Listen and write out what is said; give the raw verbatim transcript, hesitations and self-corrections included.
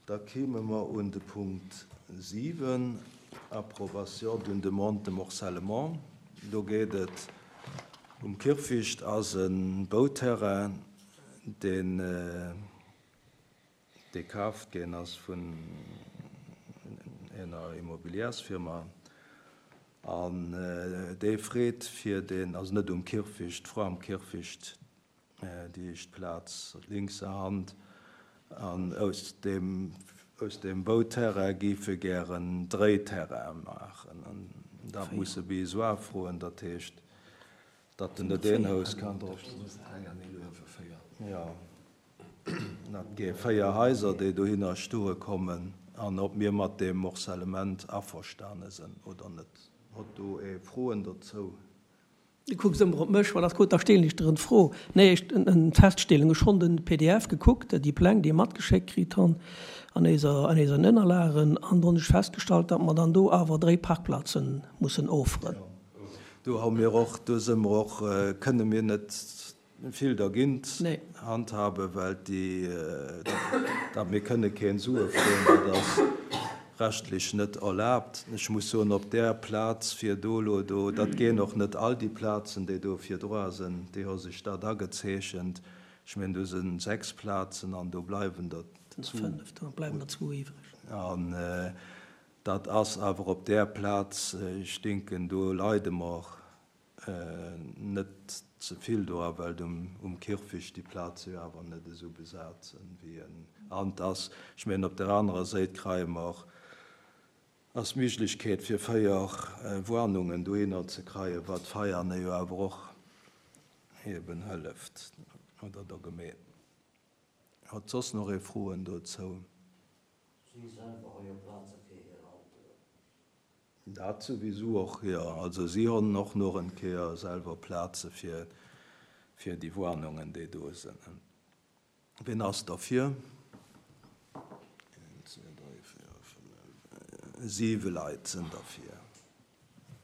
Da kéime mer un de Punkt siwen, Approbation d'une demande de morcellement. Do geet et um Kierfecht, ass e Bauterrain, deen dee kaaft ginn ass vun enger Immobilièrsfirma an dee freet fir deen, also net um Kierfecht, d'Fra am Kierfecht, déi éischt Plaz lénkser Hand, an aus deem, aus deem Bauterrain géif e gären dréi Terraine maachen. An dat muss e Besoin froen, dat heescht, datt en net een Haus kann drop. Jo, dat gi véier Haiser, déi dohinner stoe kommen, an ob mir mat deem Morcellement averstane sinn oder net. Hutt do ee Froen dozou? Du kucks ëmmer op mech, well ass gutt, da stellen ech der en Fro. Nee, ech, en Feststellung. Ech honn den P D F gekuckt, déi Pläng, déi matgeschéckt kritt honn an eiser, an eisen Ënnerlagen, an do hunn ech festgestallt, datt mer dann do awer dréi Parkplazen mussen offeren. Do hu mir och, do si mer och, kënne mir net vill dergint Nee. handhaben, well déi, dat mir kënne keen Sue froen, dat ass rechtlech net erlaabt. Ech muss soen, op där Plaz fir do elo do, dat ginn och net all déi Plazen, déi do virdra sinn, déi hu sech dat agezeechent. Ech mengen, do si sechs Plazen an do bleiwen der zwou. Fënnef, do bleiwen der zwou iwwreg. An dat ass awer op där Plaz, ech denken, do leide mer net ze vill dra, well um, um Kierfecht déi Plaze jo awer net esou besat sinn, wéi en ant ass. Ech mengen, op der anerer Säit kreie mer ass d'Méiglechkeet fir véier Wohnungen dohinner ze kreien, wat Veiane jo awer och eben hëlleft oder der Gemeen. Hat soss nach ee Froen dozou? Si selwer hu jo Plaze fir hir Autoen. Dat souwisou och, jo. Also si hunn och nach eng Kéier selwer Plaze fir, fir déi Wohnungen, déi do sinn. Wien ass derfir? Een, zwee, dräi, véier, fënnef, siwe Leit sinn derfir.